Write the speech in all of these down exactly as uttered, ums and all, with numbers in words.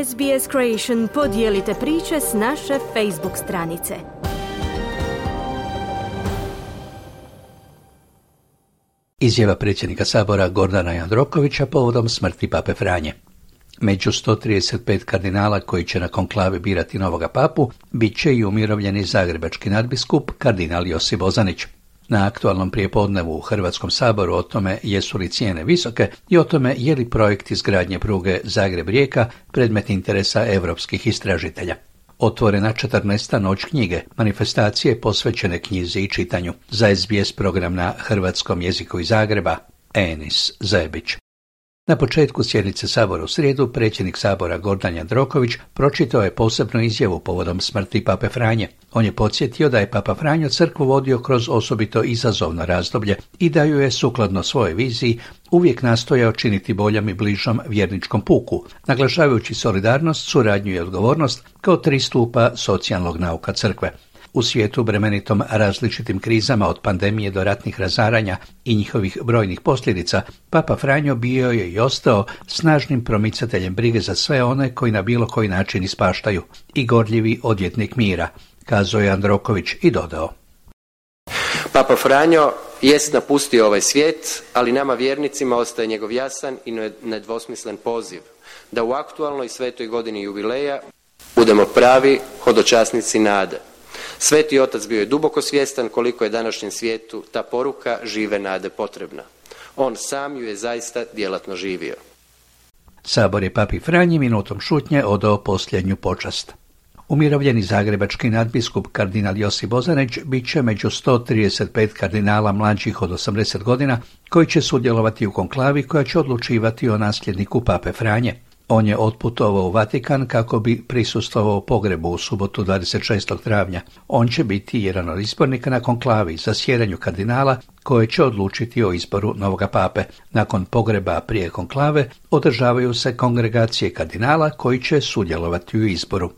S B S Creation podijelite priče s naše Facebook stranice. Izjava predsjednika Sabora Gordana Jandrokovića povodom smrti pape Franje. Među sto trideset pet kardinala koji će na konklavi birati novoga papu bit će i umirovljeni zagrebački nadbiskup kardinal Josip Bozanić. Na aktualnom prijepodnevu u Hrvatskom saboru o tome jesu li cijene visoke i o tome je li projekt izgradnje pruge Zagreb-Rijeka predmet interesa europskih istražitelja. Otvorena četrnaesta noć knjige, manifestacije posvećene knjizi i čitanju. Za S B S program na hrvatskom jeziku iz Zagreba, Enis Zebić. Na početku sjednice Sabora u srijedu predsjednik Sabora Gordan Jandroković pročitao je posebnu izjavu povodom smrti pape Franje. On je podsjetio da je papa Franjo crkvu vodio kroz osobito izazovno razdoblje i da ju je sukladno svojoj viziji uvijek nastojao činiti boljom i bližom vjerničkom puku, naglašavajući solidarnost, suradnju i odgovornost kao tri stupa socijalnog nauka crkve. U svijetu bremenitom različitim krizama od pandemije do ratnih razaranja i njihovih brojnih posljedica, papa Franjo bio je i ostao snažnim promicateljem brige za sve one koji na bilo koji način ispaštaju i gorljivi odvjetnik mira, kazao je Jandroković i dodao. Papa Franjo jest napustio ovaj svijet, ali nama vjernicima ostaje njegov jasan i nedvosmislen poziv da u aktualnoj svetoj godini jubileja budemo pravi hodočasnici nade. Sveti otac bio je duboko svjestan koliko je današnjem svijetu ta poruka žive nade potrebna. On sam ju je zaista djelatno živio. Sabor je papi Franji minutom šutnje odao posljednju počast. Umirovljeni zagrebački nadbiskup kardinal Josip Bozanić bit će među sto trideset pet kardinala mlađih od osamdeset godina koji će sudjelovati u konklavi koja će odlučivati o nasljedniku pape Franje. On je otputovao u Vatikan kako bi prisustvovao pogrebu u subotu dvadeset šestog travnja. On će biti jedan od izbornika na konklavi za sjedanju kardinala koje će odlučiti o izboru novoga pape. Nakon pogreba prije konklave održavaju se kongregacije kardinala koji će sudjelovati u izboru.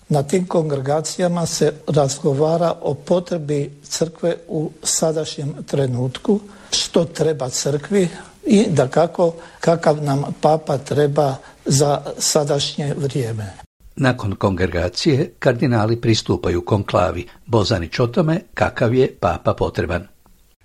Na tim kongregacijama se razgovara o potrebi crkve u sadašnjem trenutku, što treba crkvi i da kako, kakav nam papa treba za sadašnje vrijeme. Nakon kongregacije kardinali pristupaju konklavi. Bozanić o tome kakav je papa potreban.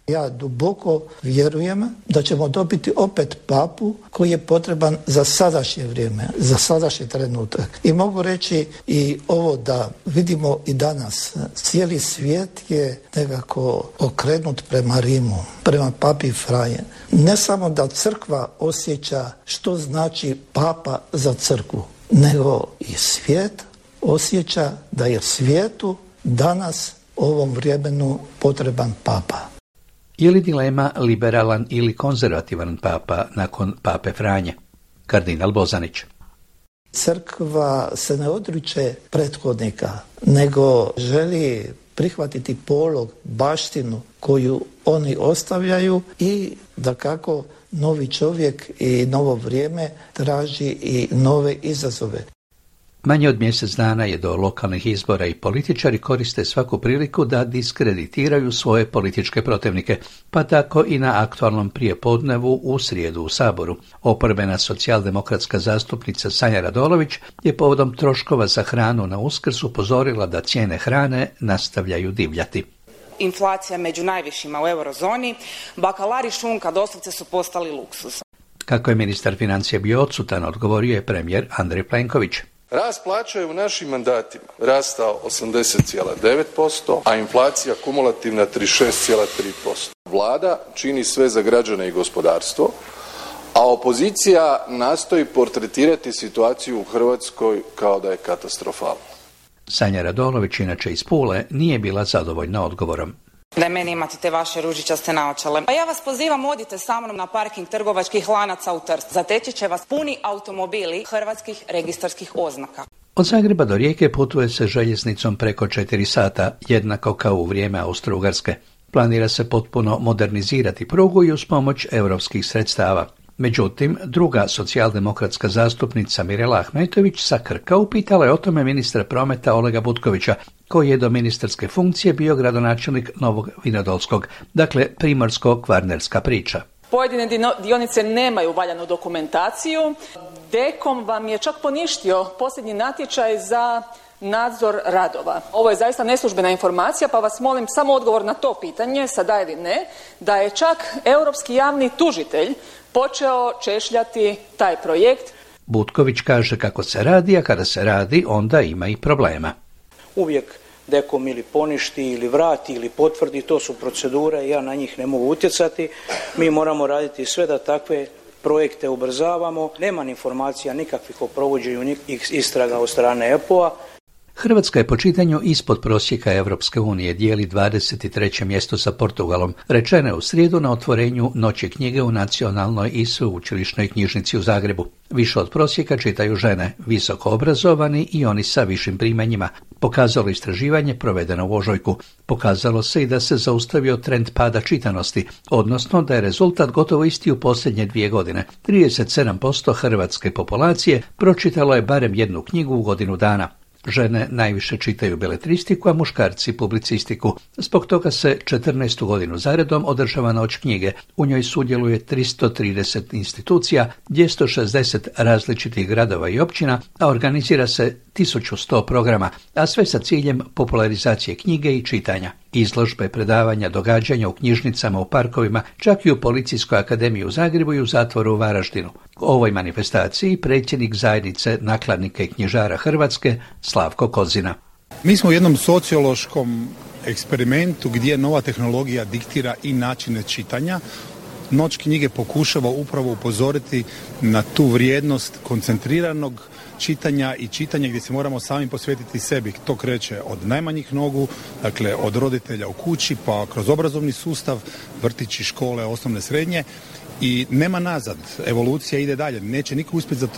Ja duboko vjerujem da ćemo dobiti opet papu koji je potreban za sadašnje vrijeme, za sadašnji trenutak. I mogu reći i ovo da vidimo i danas. Cijeli svijet je nekako okrenut prema Rimu, prema papi Franje. Ne samo da crkva osjeća što znači papa za crkvu, nego i svijet osjeća da je svijetu danas ovom vremenu potreban papa. Je li dilema liberalan ili konzervativan papa nakon pape Franje? Kardinal Bozanić. Crkva se ne odriče prethodnika, nego želi prihvatiti polog, baštinu koju oni ostavljaju i da kako novi čovjek i novo vrijeme traži i nove izazove. Manje od mjesec dana je do lokalnih izbora i političari koriste svaku priliku da diskreditiraju svoje političke protivnike, pa tako i na aktualnom prijepodnevu u srijedu u Saboru. Oporbena socijaldemokratska zastupnica Sanja Radolović je povodom troškova za hranu na Uskrs upozorila da cijene hrane nastavljaju divljati. Inflacija među najvišima u eurozoni, bakalari šunka doslovce su postali luksuz. Kako je ministar financija bio odsutan, odgovorio je premijer Andrej Plenković. Rast plaća je u našim mandatima rastao osamdeset zarez devet posto, a inflacija kumulativna trideset šest zarez tri posto. Vlada čini sve za građane i gospodarstvo, a opozicija nastoji portretirati situaciju u Hrvatskoj kao da je katastrofalna. Sanja Radolović, inače iz Pule, nije bila zadovoljna odgovorom. Da meni imate te vaše ružičaste naočale. Pa ja vas pozivam, odite sa mnom na parking trgovačkih lanaca u Trst. Zateći će vas puni automobili hrvatskih registarskih oznaka. Od Zagreba do Rijeke putuje se željeznicom preko četiri sata, jednako kao u vrijeme Austro-Ugarske. Planira se potpuno modernizirati prugu i uz pomoć europskih sredstava. Međutim, druga socijaldemokratska zastupnica Mirela Ahmetović sa Krka upitala je o tome ministra prometa Olega Butkovića, koji je do ministarske funkcije bio gradonačelnik Novog Vinodolskog, dakle primorsko-kvarnerska priča. Pojedine dionice nemaju valjanu dokumentaciju. Dekom vam je čak poništio posljednji natječaj za nadzor radova. Ovo je zaista neslužbena informacija, pa vas molim samo odgovor na to pitanje, sada ili ne, da je čak europski javni tužitelj počeo češljati taj projekt. Butković kaže kako se radi, a kada se radi, onda ima i problema. Uvijek Dekom ili poništi, ili vrati, ili potvrdi, to su procedure, ja na njih ne mogu utjecati. Mi moramo raditi sve da takve projekte ubrzavamo. Nema informacija nikakvih o provođenju istraga od strane E P O-a. Hrvatska je po čitanju ispod prosjeka Europske unije, dijeli dvadeset treće mjesto sa Portugalom. Rečeno je u srijedu na otvorenju Noći knjige u Nacionalnoj i sveučilišnoj knjižnici u Zagrebu. Više od prosjeka čitaju žene, visoko obrazovani i oni sa višim primanjima. Pokazalo istraživanje provedeno u ožujku. Pokazalo se i da se zaustavio trend pada čitanosti, odnosno da je rezultat gotovo isti u posljednje dvije godine. trideset sedam posto hrvatske populacije pročitalo je barem jednu knjigu u godinu dana. Žene najviše čitaju beletristiku, a muškarci publicistiku. Zbog toga se četrnaestu godinu zaredom održava Noć knjige. U njoj sudjeluje tristo trideset institucija, dvjesto šezdeset različitih gradova i općina, a organizira se tisuću sto programa, a sve sa ciljem popularizacije knjige i čitanja. Izložbe, predavanja, događanja u knjižnicama, u parkovima, čak i u Policijskoj akademiji u Zagrebu i u zatvoru u Varaždinu. O ovoj manifestaciji predsjednik zajednice nakladnika i knjižara Hrvatske Slavko Kozina. Mi smo u jednom sociološkom eksperimentu gdje nova tehnologija diktira i načine čitanja. Noć knjige pokušava upravo upozoriti na tu vrijednost koncentriranog čitanja i čitanja gdje se moramo sami posvetiti sebi. To kreće od najmanjih nogu, dakle od roditelja u kući, pa kroz obrazovni sustav, vrtići, škole, osnovne, srednje, i nema nazad. Evolucija ide dalje. Neće niko uspjeti za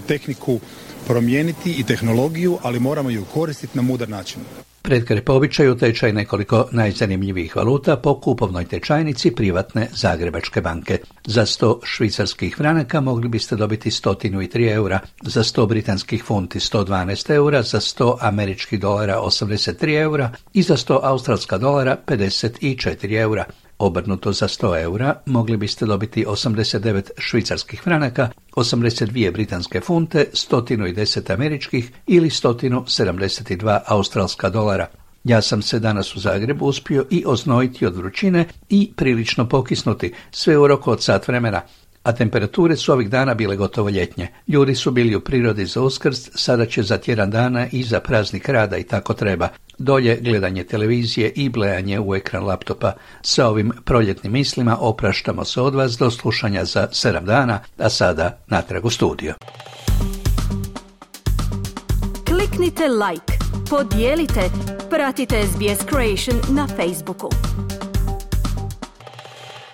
tehniku promijeniti i tehnologiju, ali moramo ju koristiti na mudar način. Pred kraj po običaju tečaj nekoliko najzanimljivijih valuta po kupovnoj tečajnici privatne Zagrebačke banke. Za sto švicarskih franaka mogli biste dobiti sto tri eura, za sto britanskih funti sto dvanaest eura, za sto američkih dolara osamdeset tri eura i za sto australska dolara pedeset četiri eura. Obrnuto, za sto eura mogli biste dobiti osamdeset devet švicarskih franaka, osamdeset dvije britanske funte, sto deset američkih ili sto sedamdeset dva australska dolara. Ja sam se danas u Zagrebu uspio i oznojiti od vrućine i prilično pokisnuti, sve u roku od sat vremena. A temperature su ovih dana bile gotovo ljetnje. Ljudi su bili u prirodi za Uskrs, sada će za tjedan dana i za praznik rada i tako treba. Dolje gledanje televizije i blejanje u ekran laptopa. Sa ovim proljetnim mislima opraštamo se od vas do slušanja za sedam dana, a sada natrag u studio. Kliknite like, podijelite, pratite S B S Creation na Facebooku.